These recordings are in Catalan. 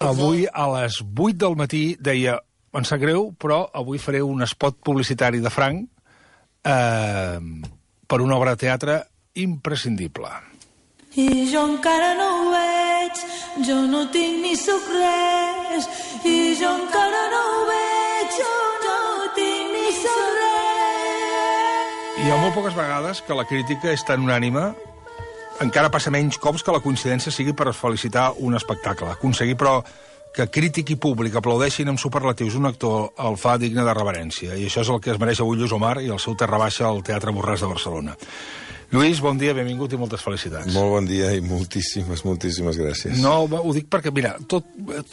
Avui a les 8 del matí deia, em sap greu, però avui faré un spot publicitari de franc per una obra de teatre imprescindible. I jo encara no ho veig, jo no tinc ni sóc res, i jo encara no ho veig, jo no tinc ni sóc res. Hi ha molt poques vegades que la crítica és tan unànime, encara passa menys cops que la coincidència sigui per felicitar un espectacle. Aconseguir, però, que crític i públic aplaudeixin amb superlatius un actor el fa digne de reverència, i això és el que es mereix avui Lluís Omar i el seu Terra Baixa al Teatre Borràs de Barcelona. Lluís, bon dia, benvingut i moltes felicitats. Molt bon dia i moltíssimes gràcies. No, ho dic perquè, mira, tot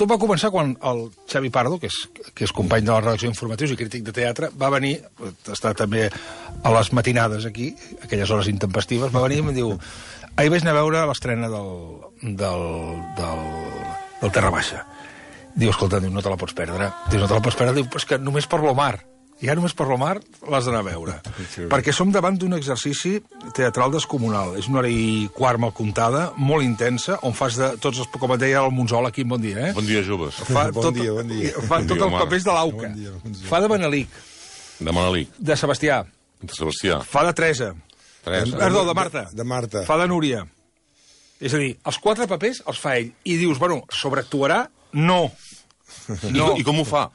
va començar quan el Xavi Pardo, que és company de la redacció d'informatius i crític de teatre, va venir, està també a les matinades aquí, aquelles hores intempestives, va venir i em diu, ahir vaig anar a veure l'estrena del Terra Baixa. Diu, escolta, no te la pots perdre. Diu, no te la pots perdre, diu, és que només per l'Omar. Ja només per l'Omar l'has d'anar a veure. Perquè som davant d'un exercici teatral descomunal. És una hora i quart mal comptada, molt intensa, on fas de tots els, com et deia el Monzol aquí, bon dia, eh? Bon dia, joves. Bon dia. Fa tot els papers de l'Auca. Fa de Manelic. De Manelic. De Sebastià. De Sebastià. Fa de Teresa. Perdó, de Marta. De Marta. Fa de Núria. És a dir, els 4 papers els fa ell. I dius, bueno, sobreactuarà? No. No. I com ho fa?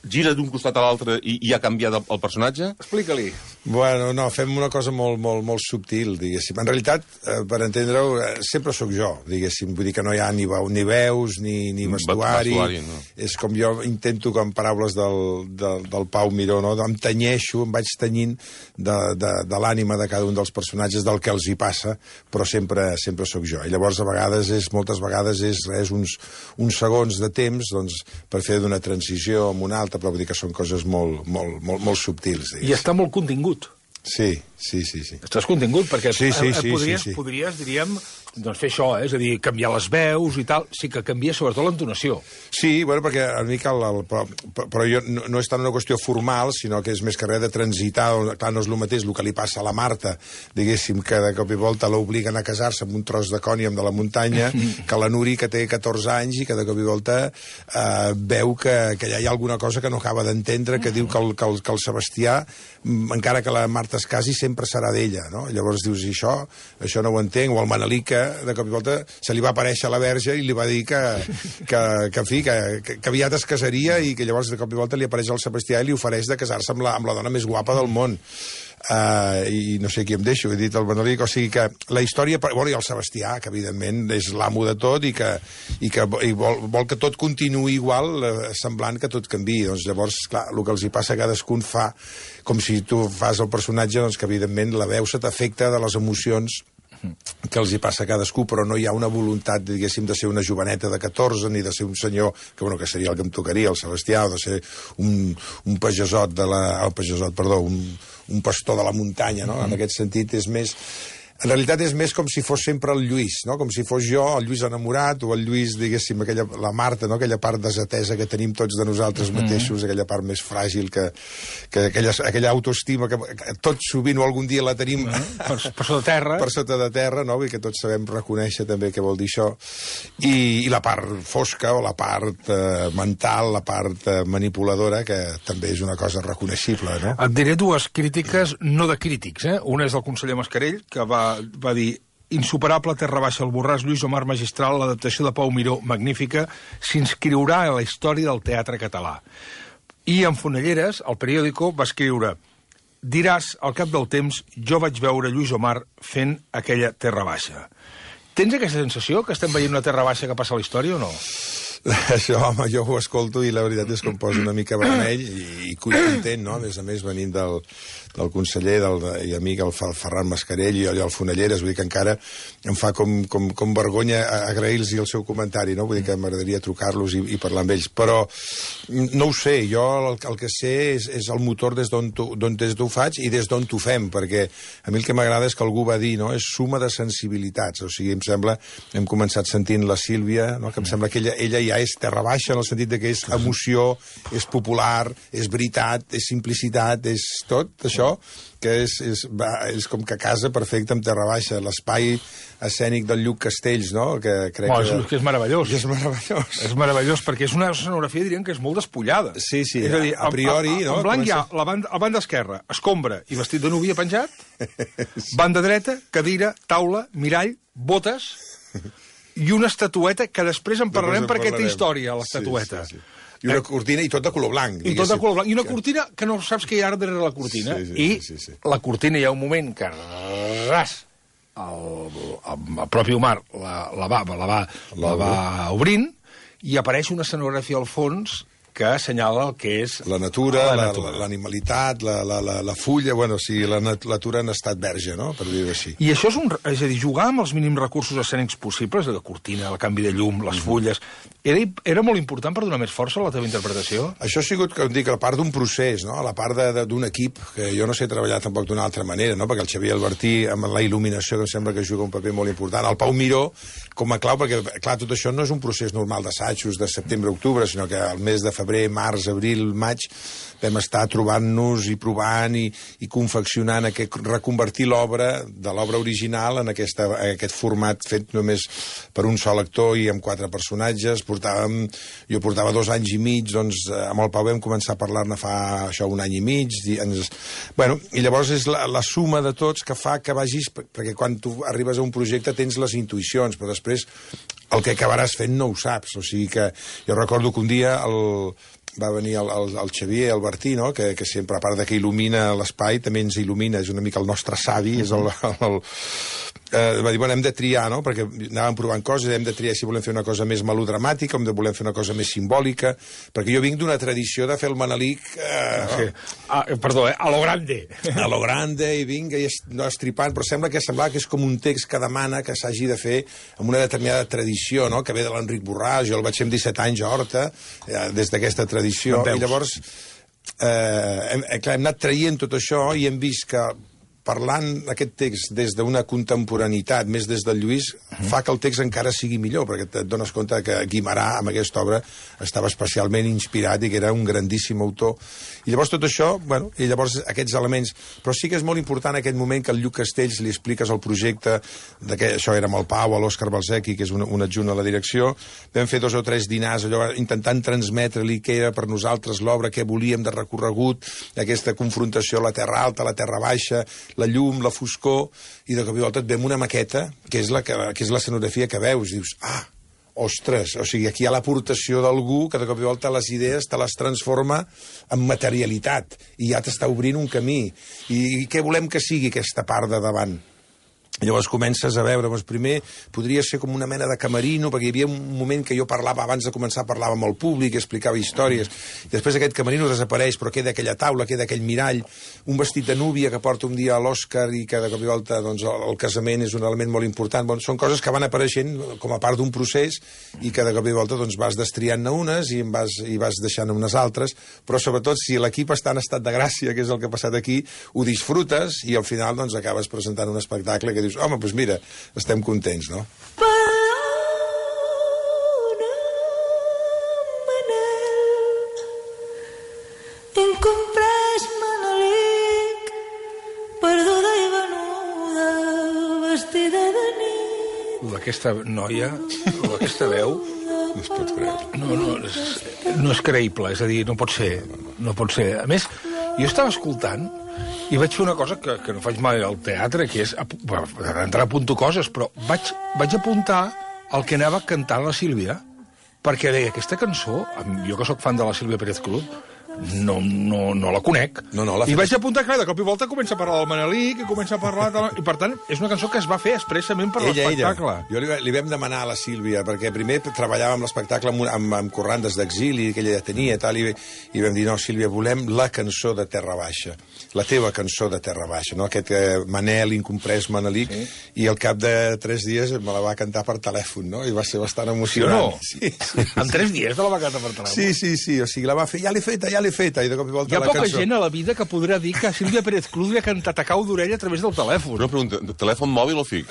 Gira d'un costat a l'altre i ha canviat el personatge? Explica-li. Bueno, no, fem una cosa molt subtil, diguéssim. En realitat, per entendre-ho, sempre sóc jo, diguéssim. Vull dir que no hi ha ni veus, ni vestuari. No. És com jo intento, com paraules del Pau Miró, no? Em tenyeixo, em vaig tenyint de l'ànima de cada un dels personatges, del que els hi passa, però sempre sóc jo. I llavors, moltes vegades és uns segons de temps, doncs, per fer d'una transició amb una altra, però vull dir que són coses molt subtils. Diguéssim. I està molt contingut. Sí. Estàs contingut, perquè sí. podries, diríem, doncs fer això, és a dir, canviar les veus i tal, sí que canvia sobretot l'entonació. Sí, bueno, perquè a mi però jo no és tant una qüestió formal, sinó que és més que res de transitar, clar, no és el mateix el que li passa a la Marta, diguéssim, que de cop i volta l'obliguen a casar-se amb un tros de còniam de la muntanya, que la Nuri, que té 14 anys i que de cop i volta veu que allà hi ha alguna cosa que no acaba d'entendre, que diu que el Sebastià, encara que la Marta es casi, sempre serà d'ella, no? Llavors dius, això no ho entenc, o el Manelic, de cop i volta se li va aparèixer a la Verge i li va dir que aviat es casaria i que llavors de cop i volta li apareix al Sebastià i li ofereix de casar-se amb la dona més guapa del món. I no sé qui em deixo, he dit el Manelic, o sigui que la història, bueno, i el Sebastià, que evidentment és l'amo de tot i vol que tot continuï igual, semblant que tot canviï. Doncs llavors, clar, el que els hi passa a cadascun fa com si tu fas el personatge, doncs que evidentment la veu se t'afecta de les emocions que els hi passa a cadascú, però no hi ha una voluntat, diguéssim, de ser una joveneta de 14, ni de ser un senyor, que seria el que em tocaria, el Sebastià, o de ser un pagesot un pastor de la muntanya, no? En aquest sentit és més... En realitat és més com si fos sempre el Lluís, no? Com si fos jo, el Lluís enamorat, o el Lluís, diguéssim, la Marta, no? Aquella part desatesa que tenim tots de nosaltres mateixos, aquella part més fràgil, aquella autoestima que tot sovint o algun dia la tenim per sota terra. Per sota de terra, no? I que tots sabem reconèixer també què vol dir això. I la part fosca, o la part mental, la part manipuladora, que també és una cosa reconeixible, no? Et diré 2 crítiques, no de crítics, eh? Una és del conseller Mascarell, que va dir insuperable Terra Baixa al Borràs, Lluís Omar magistral, l'adaptació de Pau Miró magnífica, s'inscriurà a la història del teatre català. I en Fonelleres, el periòdico, va escriure: diràs, al cap del temps, jo vaig veure Lluís Omar fent aquella Terra Baixa. Tens aquesta sensació que estem veient una Terra Baixa que passa a la història o no? Això, home, jo ho escolto i la veritat és que em poso una mica vermell i content, no? A més, venint del conseller i amic, el Ferran Mascarell i el Fonelleres, vull dir que encara em fa com vergonya agrair-los el seu comentari, no? Vull dir que m'agradaria trucar-los i parlar amb ells. Però no ho sé, jo el que sé és el motor des d'on ho faig i des d'on ho fem, perquè a mi el que m'agrada és que algú va dir, no? És suma de sensibilitats, o sigui, em sembla, hem començat sentint la Sílvia, no? Que em sembla que ella ja és terra baixa en el sentit que és emoció, és popular, és veritat, és simplicitat, és tot això, això, que és com que casa perfecte amb Terra Baixa, l'espai escènic del Lluc Castells, no? Que crec que és meravellós. És meravellós. És meravellós, perquè és una escenografia, diríem, que és molt despullada. Sí, És a dir, a priori... En blanc hi ha la banda esquerra, escombra i vestit de núvia penjat, banda dreta, cadira, taula, mirall, botes i una estatueta que després en parlarem perquè té història, l'estatueta. Sí. I una cortina, i tot de color blanc. I tot de color blanc. I una cortina que no saps què hi ha darrere la cortina. Sí. La cortina hi ha un moment que ras el propi Omar la va obrint i apareix una escenografia al fons que assenyala el que és la natura, l'animalitat, la fulla, bueno, o sigui, la natura en estat verge, no?, per dir-ho així. I això és a dir, jugar amb els mínims recursos escènics possibles, la cortina, el canvi de llum, les fulles, era molt important per donar més força a la teva interpretació? Això ha sigut, com dic, la part d'un procés, no?, la part d'un equip, que jo no sé treballar tampoc d'una altra manera, no?, perquè el Xavier Albertí, amb la il·luminació, que em sembla que juga un paper molt important, el Pau Miró, com a clau, perquè, clar, tot això no és un procés normal d'assajos de setembre a octubre, sinó que al mes de febrer, març, abril, maig, vam estar trobant-nos i provant i confeccionant, reconvertir l'obra de l'obra original en aquest format fet només per un sol actor i amb 4 personatges. Jo portava 2 anys i mig, doncs amb el Pau vam començar a parlar-ne fa això 1 any i mig. I llavors és la suma de tots que fa que vagis, perquè quan tu arribes a un projecte tens les intuïcions, però després el que acabaràs fent no ho saps. O sigui que jo recordo que un dia va venir el Xavier Albertí, no?, que sempre, a part de que il·lumina l'espai, també ens il·lumina, és una mica el nostre savi, és va dir, hem de triar, no?, perquè anàvem provant coses, hem de triar si volem fer una cosa més melodramàtica, o volem fer una cosa més simbòlica, perquè jo vinc d'una tradició de fer el Manelic... Perdó, a lo grande. A lo grande, i vinc estripant, però sembla que és com un text que demana que s'hagi de fer amb una determinada tradició, no?, que ve de l'Enric Borràs, jo el vaig fer amb 17 anys a Horta, des d'aquesta tradició, i llavors hem anat traient tot això i hem vist que parlant aquest text des d'una contemporaneitat, més des del Lluís, fa que el text encara sigui millor, perquè et dones compte que Guimerà, amb aquesta obra, estava especialment inspirat i que era un grandíssim autor. I llavors tot això, i llavors aquests elements... Però sí que és molt important aquest moment que al Lluc Castells li expliques el projecte, això era amb el Pau, l'Òscar Balzequi, que és un adjunt a la direcció, vam fer 2 o 3 dinars, allò, intentant transmetre-li què era per nosaltres l'obra, què volíem de recorregut, aquesta confrontació a la terra alta, a la terra baixa, la llum, la foscor, i de cop i volta et veiem una maqueta, que és l'escenografia que veus, i dius, ostres, o sigui, aquí hi ha l'aportació d'algú que de cop i volta les idees te les transforma en materialitat, i ja t'està obrint un camí. I què volem que sigui aquesta part de davant? Llavors comences a veure, primer podria ser com una mena de camerino, perquè hi havia un moment que jo parlava, abans de començar parlava amb el públic, explicava històries, i després aquest camerino desapareix, però queda aquella taula, queda aquell mirall, un vestit de núvia que porta un dia a l'Òscar i que de cop i volta el casament és un element molt important. Són coses que van apareixent com a part d'un procés i que de cop i volta vas destriant-ne unes i vas deixant unes altres, però sobretot si l'equip està en estat de gràcia, que és el que ha passat aquí, ho disfrutes i al final acabes presentant un espectacle que dius, home, doncs mira, estem contents, no? Incomprès Manelic, perduda i venuda, vestida de nit. Aquesta noia, aquesta veu... No es pot creure. No és creïble, és a dir, no pot ser. No pot ser. A més, jo estava escoltant i vaig fer una cosa que no faig mai al teatre, que és... D'entrar apunto coses, però vaig apuntar el que anava cantant la Sílvia, perquè deia, aquesta cançó, jo que sóc fan de la Sílvia Pérez Cruz, no la conec. I vaig apuntar que de cop i volta comença a parlar del Manelic, i comença a parlar... I per tant, és una cançó que es va fer expressament per l'espectacle. Jo li vam demanar a la Sílvia, perquè primer treballàvem l'espectacle amb corrandes d'exili que ella ja tenia i vam dir, no, Sílvia, volem la cançó de Terra Baixa, la teva cançó de Terra Baixa, no? Aquest Manel, incomprès Manelic, i al cap de 3 dies me la va cantar per telèfon, no? I va ser bastant emocionant. Sí o no? En 3 dies te la va cantar per telèfon? Sí, o sigui, la va fer, ja l'he feta, l'he feta, i de cop i volta Hi ha la poca cançó... gent a la vida que podrà dir que Sílvia Pérez Cruz li ha cantat a cau d'orella a través del telèfon. Una pregunta, telèfon mòbil o fix?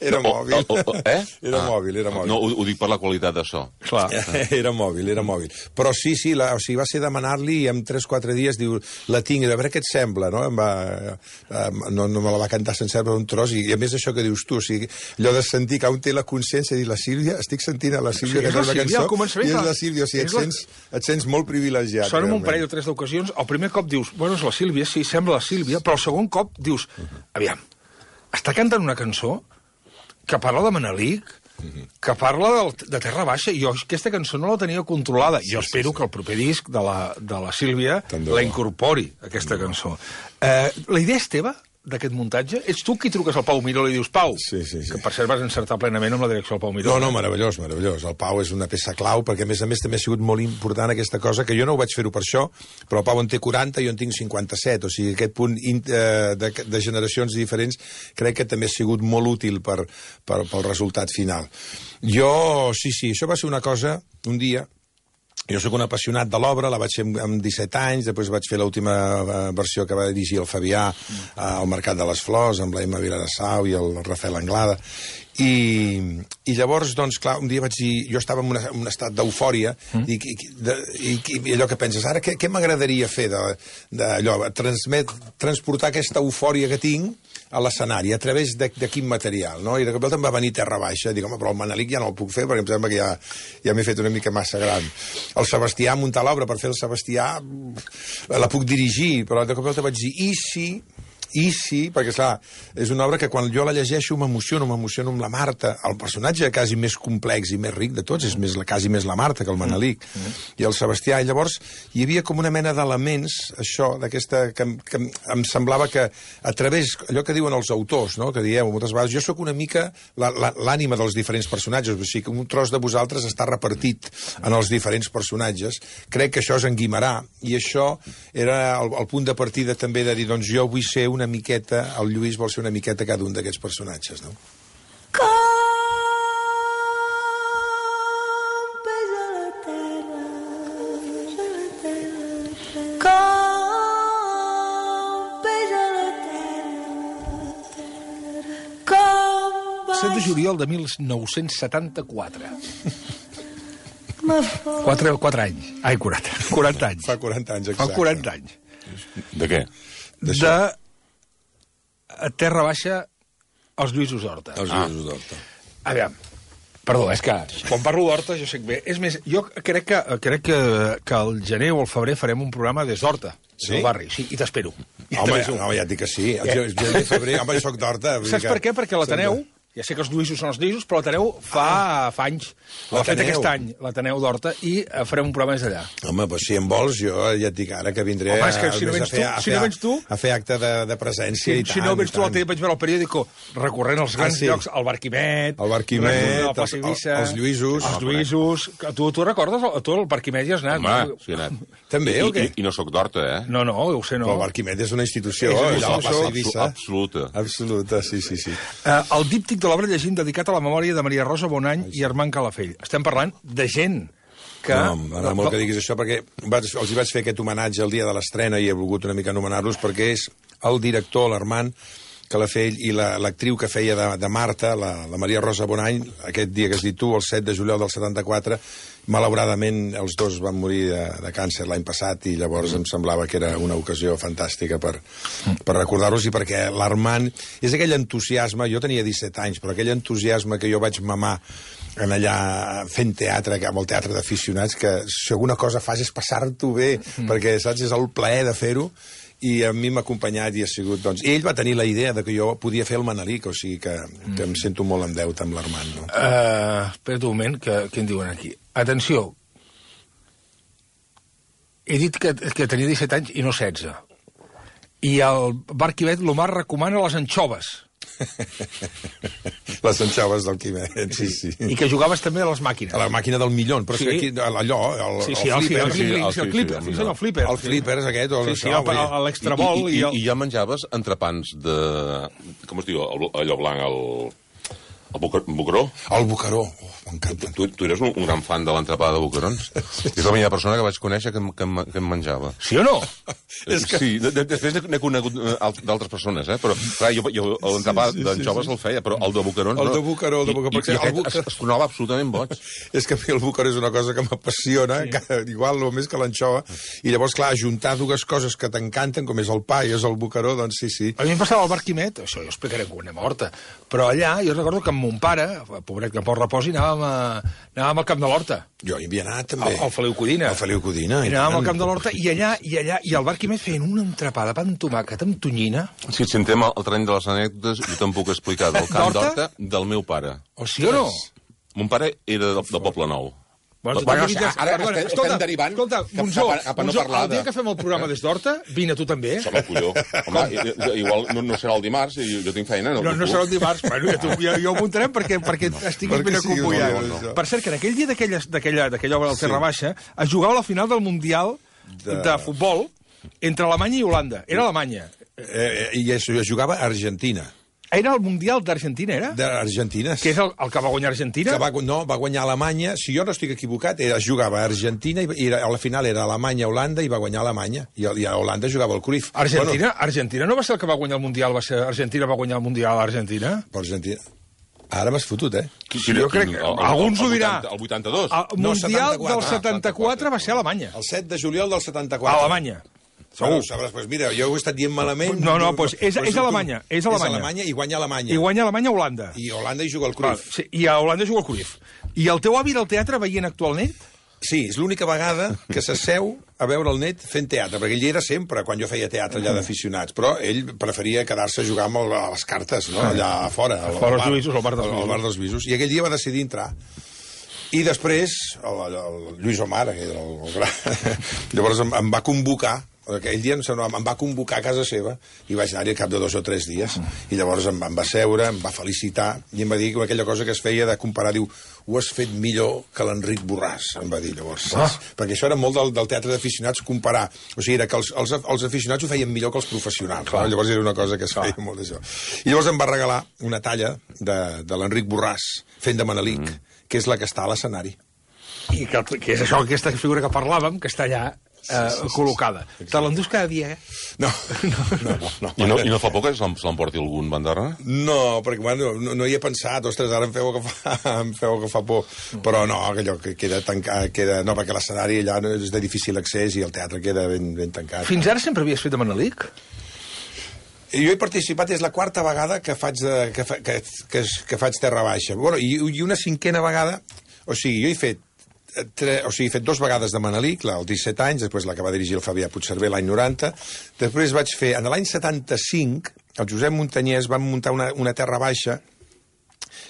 Era mòbil. Era mòbil. No, ho dic per la qualitat de so. Clar. Era mòbil. Però sí, o sigui, va ser demanar-li i en 3-4 dies diu, la tinc, a veure què et sembla, no? No me la va cantar sencera per un tros, i a més això que dius tu, o sigui, allò de sentir que un té la consciència de dir, la Sílvia, estic sentint a la Sílvia que és la la cançó, i és la Sílvia, o sigui, et sents molt privilegiat. Sona un parell o tres d'ocasions, el primer cop dius, bueno, és la Sílvia, sí, sembla la Sílvia, però el segon cop dius, aviam, està cantant una cançó que parla de Manelic, que parla de Terra Baixa, i jo aquesta cançó no la tenia controlada. Jo espero que el proper disc de la Sílvia la incorpori, aquesta cançó. La idea és teva? D'aquest muntatge? Ets tu qui truques al Pau Miró i li dius, Pau, que per cert vas encertar plenament amb la direcció del Pau Miró. No, meravellós. El Pau és una peça clau, perquè a més també ha sigut molt important aquesta cosa, que jo no ho vaig fer-ho per això, però el Pau en té 40 i jo en tinc 57, o sigui, aquest punt de generacions diferents crec que també ha sigut molt útil pel resultat final. Sí, això va ser una cosa, un dia. Jo sóc un apassionat de l'obra, la vaig fer amb 17 anys, després vaig fer l'última versió que va dirigir el Fabià al Mercat de les Flors, amb la Emma Viladasau i el Rafael Anglada. I llavors, doncs, clar, un dia vaig dir... Jo estava en un estat d'eufòria i allò que penses, ara què m'agradaria fer d'allò, transportar aquesta eufòria que tinc a l'escenari, a través de quin material, no? I de cop em va venir Terra Baixa, dic, home, però el Manelic ja no el puc fer, perquè em sembla que ja m'he fet una mica massa gran. El Sebastià, muntar l'obra per fer el Sebastià, la puc dirigir, però de cop vaig dir, i sí, perquè, clar, és una obra que quan jo la llegeixo m'emociono amb la Marta, el personatge quasi més complex i més ric de tots, és quasi més la Marta que el Manelic, i el Sebastià, i llavors hi havia com una mena d'elements, això, d'aquesta, que em semblava que a través, allò que diuen els autors, no?, que dieu moltes vegades, jo sóc una mica l'ànima dels diferents personatges, o sigui, que un tros de vosaltres està repartit en els diferents personatges, crec que això és en Guimerà, i això era el punt de partida també de dir, doncs jo vull ser una miqueta, el Lluís vol ser una miqueta cada un d'aquests personatges, no? Com pesa la terra, com pesa la terra, 7 de juliol de 1974. 4 anys. Ai, 40 anys. Fa 40 anys, exacte. Fa 40 anys. De què? De Terra Baixa als Lluïsos d'Horta. Els Lluïsos d'Horta. Aviam, perdó, és que quan parlo d'Horta jo sé que bé. És més, jo crec que al gener o al febrer farem un programa des d'Horta, del barri, sí, i t'espero. Home, ja et dic que sí. El gener, febrer, home, jo soc d'Horta. Saps per què? Perquè l'Ateneu... Ja sé que els Lluïsos són els Lluïsos, però l'Ateneu fa anys. L'ha fet aquest any, l'Ateneu d'Horta, i farem un programa des d'allà. Home, doncs si em vols, jo ja et dic ara que vindré a fer acte de presència i tant. Si no vens tu, vaig veure el periòdico recorrent els grans llocs, el Barquimet, els Lluïsos. Els Lluïsos. Tu recordes? Tu al Barquimet hi has anat. Home, sí he anat. També, o què? I no sóc d'Horta, eh? No, ho sé, no. Però el Barquimet és una institució. Absoluta. Absoluta, sí. El díptic de l'obra llegint dedicat a la memòria de Maria Rosa Bonany i Armand Calafell. Estem parlant de gent que... No, m'agrada molt que diguis això, perquè els hi vaig fer aquest homenatge el dia de l'estrena i he volgut una mica anomenar-los, perquè és el director, l'Armand Calafell, i l'actriu que feia de Marta, la Maria Rosa Bonany, aquest dia que has dit tu, el 7 de juliol del 74, malauradament els dos van morir de càncer l'any passat, i llavors em semblava que era una ocasió fantàstica per recordar-los, i perquè l'Armand és aquell entusiasme, jo tenia 17 anys, però aquell entusiasme que jo vaig mamar en allà fent teatre, amb el teatre d'aficionats, que si alguna cosa fas és passar-t'ho bé, perquè, saps, és el plaer de fer-ho, i a mi m'ha acompanyat i ha sigut, doncs... I ell va tenir la idea de que jo podia fer el Manelic, o sigui que em sento molt en deute amb l'Armand, no? Espera't un moment, què en diuen aquí? Atenció, he dit que tenia 17 anys i no 16. I el Barquimet l'Omar recomana les anxoves. Les anxoves del Quimet, sí. I que jugaves també a les màquines. A la màquina del milió, però sí. Aquí, allò, el flipper. El flipper és aquest. Sí, l'extrabol. I ja menjaves entrepans de... Com es diu? Allò blanc, El Boqueró? El Boqueró. M'encanta. Tu eres un gran fan de l'entrepada de boquerons? És la primera persona que vaig conèixer que em menjava. Sí o no? Sí, després n'he conegut d'altres persones, però clar, jo l'entrepat d'anxoves el feia, però el de boquerons El de Boqueró, es tornava absolutament boig. És que a mi el Boqueró és una cosa que m'apassiona, igual o més que l'anxova, i llavors, clar, ajuntar dues coses que t'encanten, com és el pa i és el Boqueró, doncs sí. A mi em passava al bar Quimet, això jo explicaré quan anem a Horta, però allà jo recordo que amb mon pare, pobret que pot reposi, anàvem al Camp de l'Horta. Jo hi havia anat, també. Al Feliu Codina. Al Feliu Codina. I anàvem al Camp de l'Horta i allà, i al bar Quimet feien una entrepada de pa amb tomàquet, amb tonyina. Si et sentem al terreny de les anècdotes, jo te'n puc explicar del Camp d'Horta del meu pare. O sí o no? Mon pare era de Poble Nou. Bueno, ara estem derivant escolta, Monzó, el dia que fem el programa des d'Horta, vine tu també. Som el colló. Home, igual no serà el dimarts, jo tinc feina. No serà el dimarts, bueno, ja ho muntarem perquè estiguis ben acompanyat. Per cert, que en aquell dia d'aquella obra del Terra Baixa es jugava la final del Mundial de futbol entre Alemanya i Holanda. Era Alemanya. I es jugava a Argentina. Era el Mundial d'Argentina, era? D'Argentina. Que és el que va guanyar Argentina? No, va guanyar Alemanya. Si jo no estic equivocat, es jugava a Argentina i a la final era Alemanya-Holanda i va guanyar Alemanya. I a Holanda jugava el Cruyff. Argentina no va ser el que va guanyar el Mundial, Argentina va guanyar el Mundial a Argentina? Argentina. Ara m'has fotut, Jo crec que alguns ho dirà. El 82? El Mundial del 74 va ser a Alemanya. El 7 de juliol del 74. A Alemanya. Segur. Pues mira, jo ho he estat dient malament. No, doncs és Alemanya. És Alemanya i guanya Alemanya. I guanya Alemanya a Holanda. I a Holanda hi juga el Cruyff. Sí, i a Holanda juga el Cruyff. I el teu avi del teatre veient actualment? Sí, és l'única vegada que s'asseu a veure el net fent teatre, perquè ell hi era sempre, quan jo feia teatre allà d'aficionats, però ell preferia quedar-se a jugar amb les cartes, no? Allà a fora. Al bar dels Visos. I aquell dia va decidir entrar. I després, el Lluís Omar, que era el gran... Llavors em va convocar, aquell dia em va convocar a casa seva i vaig anar-hi al cap de 2 o 3 dies. I llavors em va seure, em va felicitar i em va dir aquella cosa que es feia de comparar, diu, ho has fet millor que l'Enric Borràs, em va dir llavors. Perquè això era molt del teatre d'aficionats, comparar. O sigui, era que els aficionats ho feien millor que els professionals. Llavors era una cosa que es feia molt d'això. I llavors em va regalar una talla de l'Enric Borràs fent de Manelic, que és la que està a l'escenari. I que és això, aquesta figura que parlàvem, que està allà col·locada. Te l'endús cada dia, No. I no fa por que se l'emporti algun bandarra? No, perquè bueno, no hi he pensat. Ostres, ara em feu que fa por. Però no, allò que queda tancat... No, perquè l'escenari allà és de difícil accés i el teatre queda ben tancat. Fins ara sempre havies fet de Manelic? Jo he participat, és la 4a vegada que faig Terra Baixa. Bueno, i una 5a vegada... O sigui, jo he fet 2 vegades de Manelic, als 17 anys, després la que va dirigir el Fabià Puigcerver l'any 90. Després vaig fer, en l'any 75, el Josep Muntanyès va muntar una Terra Baixa,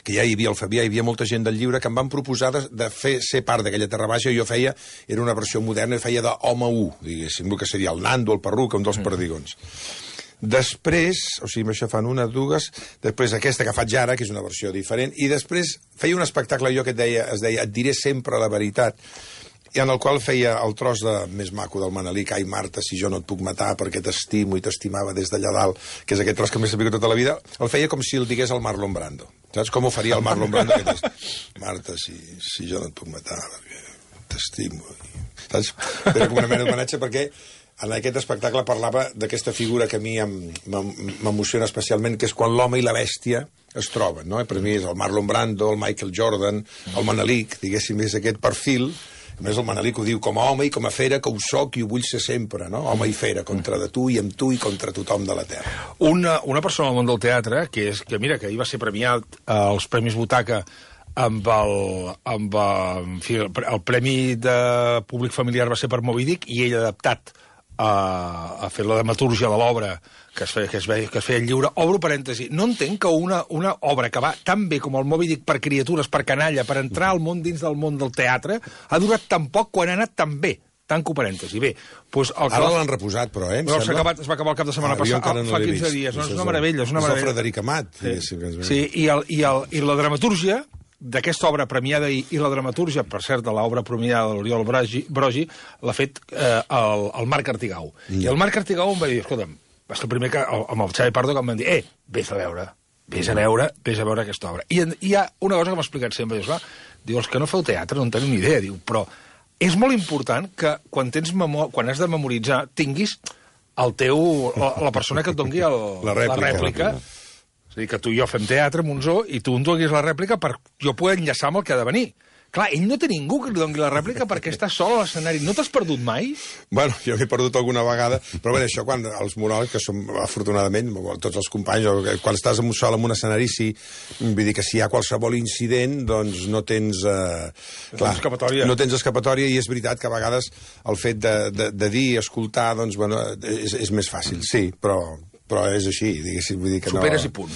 que ja hi havia el Fabià, hi havia molta gent del llibre, que em van proposar de ser part d'aquella Terra Baixa, i jo feia, era una versió moderna, feia d'home 1, diguéssim, el que seria el Nando, el Perruca, un dels perdigons. Després, o sigui, això fan 1, 2, després aquesta que faig ara, que és una versió diferent, i després feia un espectacle jo que es deia Et diré sempre la veritat, i en el qual feia el tros més maco del Manelic, ai Marta, si jo no et puc matar perquè t'estimo i t'estimava des d'allà dalt, que és aquest tros que m'he sabut tota la vida, el feia com si el digués el Marlon Brando. Saps com ho faria el Marlon Brando? Marta, si jo no et puc matar perquè t'estimo. Saps? Era com una mena d'homenatge perquè en aquest espectacle parlava d'aquesta figura que a mi m'emociona especialment, que és quan l'home i la bèstia es troben, no? Per mi és el Marlon Brando, el Michael Jordan, el Manelic, diguéssim, és aquest perfil. A més, el Manelic ho diu com a home i com a fera, que ho soc i ho vull ser sempre, no? Home i fera, contra de tu i amb tu i contra tothom de la terra. Una persona al món del teatre, que mira, que ahir va ser premiat als Premis Butaca amb el Premi de Públic Familiar va ser per Moby Dick, i ell ha adaptat a fer la dramatúrgia de l'obra que es feia lliure. Obro parèntesi. No entenc que una obra que va tan bé com el Moby Dick per criatures, per canalla, per entrar al món dins del món del teatre, ha durat tan poc quan ha anat tan bé. Tanco parèntesi. Bé, doncs... Ara l'han reposat, però, es va acabar el cap de setmana passat, fa 15 dies. És una meravella, és una meravella. És el Frederic Amat. Sí, i la dramatúrgia d'aquesta obra premiada i la dramatúrgia, per cert, de l'obra premiada de l'Oriol Brogi, l'ha fet el Marc Artigau. I el Marc Artigau em va dir, escolta'm, va ser el primer que, amb el Xavi Pardo, que em van dir, vés a veure. vés a veure aquesta obra. I hi ha una cosa que m'ha explicat sempre, diu, els que no feu teatre no en teniu ni idea, diu, però és molt important que quan has de memoritzar tinguis la persona que et doni la rèplica. És a dir, que tu i jo fem teatre, Monzó, i tu em donis la rèplica per jo poder enllaçar amb el que ha de venir. Clar, ell no té ningú que li doni la rèplica perquè està sol a l'escenari. No t'has perdut mai? Bueno, jo m'he perdut alguna vegada, però bé, això quan els monòlegs, que som, afortunadament, tots els companys, quan estàs sol en un escenari, sí, vull dir que si hi ha qualsevol incident, doncs no tens... no tens escapatòria, i és veritat que a vegades el fet de dir, escoltar, doncs, bueno, és més fàcil, sí, però és així, diguéssim, vull dir que superes i punt.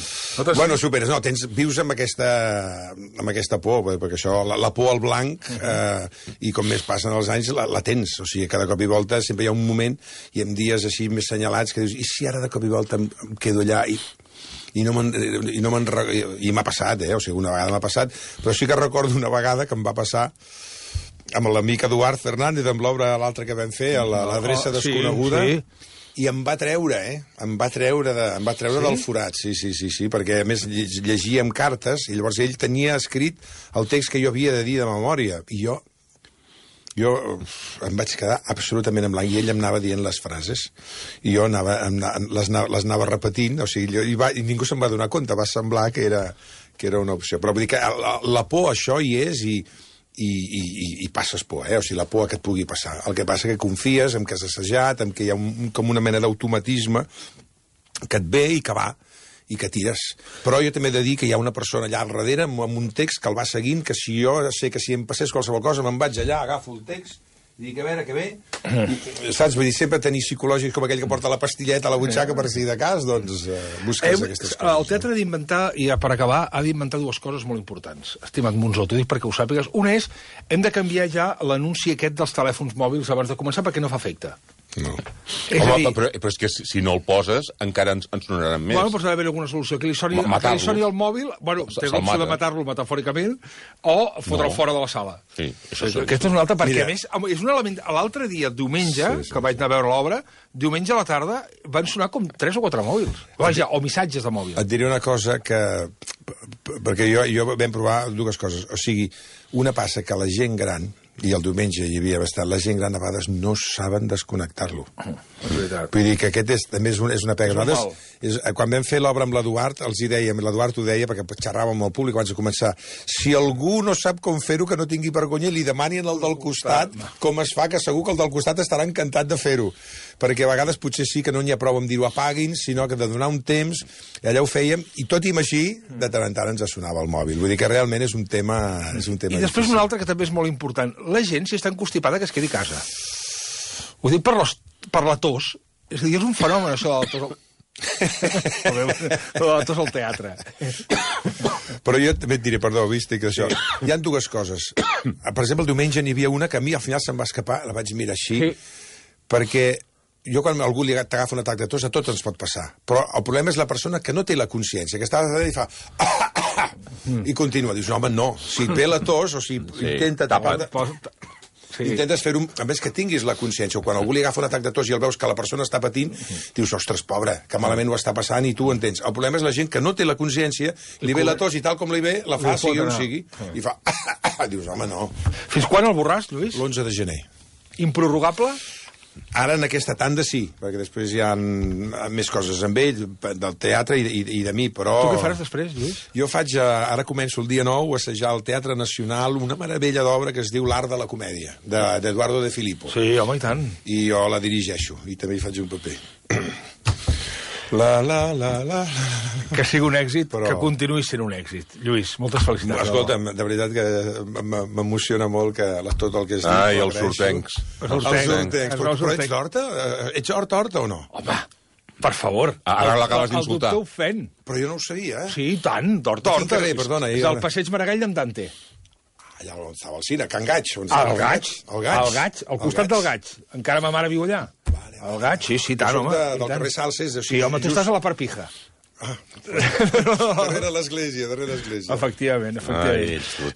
Bueno, superes, no, vius amb aquesta por, perquè això, la por al blanc, i com més passen els anys, la tens, o sigui, cada cop i volta sempre hi ha un moment, i en dies així més senyalats, que dius, i si ara de cop i volta em quedo allà i m'ha passat, o sigui, una vegada m'ha passat, però sí que recordo una vegada que em va passar amb l'amic Eduard Fernández, amb l'obra l'altra que vam fer, l'adreça desconeguda, i em va treure, em va treure del forat, sí, perquè a més llegíem cartes, i llavors ell tenia escrit el text que jo havia de dir de memòria, i jo em vaig quedar absolutament en blanc, i ell em anava dient les frases, i jo les anava repetint, o sigui, i ningú se'n va donar compte, va semblar que era una opció. Però vull dir que la por, això hi és, i passes por, o sigui, la por que et pugui passar. El que passa que confies en que has assajat, en que hi ha com una mena d'automatisme que et ve i que va, i que tires. Però jo també he de dir que hi ha una persona allà al darrere amb un text que el va seguint, que si jo sé que si em passés qualsevol cosa me'n vaig allà, agafo el text i dic, a veure què ve, saps? Vull dir, sempre tenir psicològics com aquell que porta la pastilleta a la butxaca per si de cas, doncs busques aquestes coses. El teatre ha d'inventar, i per acabar, ha d'inventar dues coses molt importants, estimat Monzó, t'ho dic perquè ho sàpigues. Una és, hem de canviar ja l'anunci aquest dels telèfons mòbils abans de començar perquè no fa efecte. No. Home, però és que si no el poses encara ens sonaran més. Bueno, doncs ha d'haver alguna solució. Que li soni el mòbil, bueno, té l'opció de matar-lo metafòricament, o fotre'l fora de la sala. Sí, aquesta és una altra, perquè a més és un element... L'altre dia, diumenge, que vaig anar a veure l'obra, diumenge a la tarda van sonar com 3 o 4 mòbils. Vaja, o missatges de mòbil. Et diré una cosa que... Perquè jo vam provar dues coses. O sigui, una passa que la gent gran, i el diumenge hi havia bastant, la gent gran a vegades no saben desconnectar-lo. Vull dir que aquest també és una pega. Quan vam fer l'obra amb l'Eduard, els hi dèiem, l'Eduard ho deia, perquè xerràvem amb el públic abans de començar, si algú no sap com fer-ho, que no tingui vergonya, li demanin al del costat com es fa, que segur que el del costat estarà encantat de fer-ho. Perquè a vegades potser sí que no n'hi ha prou amb dir-ho apaguin, sinó que de donar un temps, allà ho fèiem, i tot i així, de tant en tant ens sonava el mòbil. Vull dir que realment és un tema I després un altre que també és molt important. La gent, si està encostipada, que es quedi a casa. Ho dic per la tos. És a dir, és un fenomen, això de la tos. La tos al teatre. Però jo també et diré, perdó, vist que això... Hi ha dues coses. Per exemple, el diumenge n'hi havia una que a mi al final se'm va escapar, la vaig mirar així, perquè jo quan algú li t'agafa un atac de tos, a tots ens pot passar. Però el problema és la persona que no té la consciència, que està i fa... i continua. Dius, no, home, no. Si et ve la tos, o si intenta tapar... Intentes fer-ho, a més que tinguis la consciència, o quan algú li agafa un atac de tos i el veus que la persona està patint, dius, ostres, pobre, que malament ho està passant i tu ho entens. El problema és la gent que no té la consciència, li ve la tos i tal com li ve, la fa, sigui on sigui, i fa... Dius, home, no. Fins quan el borràs, Lluís? l'11 de gener. Improrrogable? Ara en aquesta tanda sí, perquè després hi ha més coses amb ell, del teatre i de mi, però... Tu què faràs després, Lluís? Jo ara començo el dia 9 a assajar al Teatre Nacional una meravella d'obra que es diu L'art de la comèdia, d'Eduardo de Filippo. Sí, home, i tant. I jo la dirigeixo, i també hi faig un paper. Que sigui un èxit, però... que continuï sent un èxit. Lluís, moltes felicitats. Escolta'm, de veritat que m'emociona molt que tot el que es diu... Ai, els sortencs. Els sortencs. Però ets d'Horta? Ets Horta o no? Home, per favor. Ara l'acabes d'insultar. El doctor Fent. Però jo no ho sabia, Sí, tant, d'Horta. Perdona. És el passeig Maragall d'en Dante. Allà on estava el cine, Can Gaig. El Gaig, al costat del Gaig. Encara ma mare viu allà. El Gaig, sí, tant, home. Del carrer Salses. Sí, home, tu estàs a la part pija. Darrere l'església. Efectivament.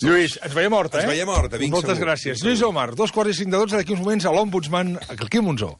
Lluís, ens veiem a Horta, Ens veiem a Horta, vinc segur. Moltes gràcies. Lluís Omar, 2:45 d'aquí uns moments a l'Ombudsman, aquí a Monzó.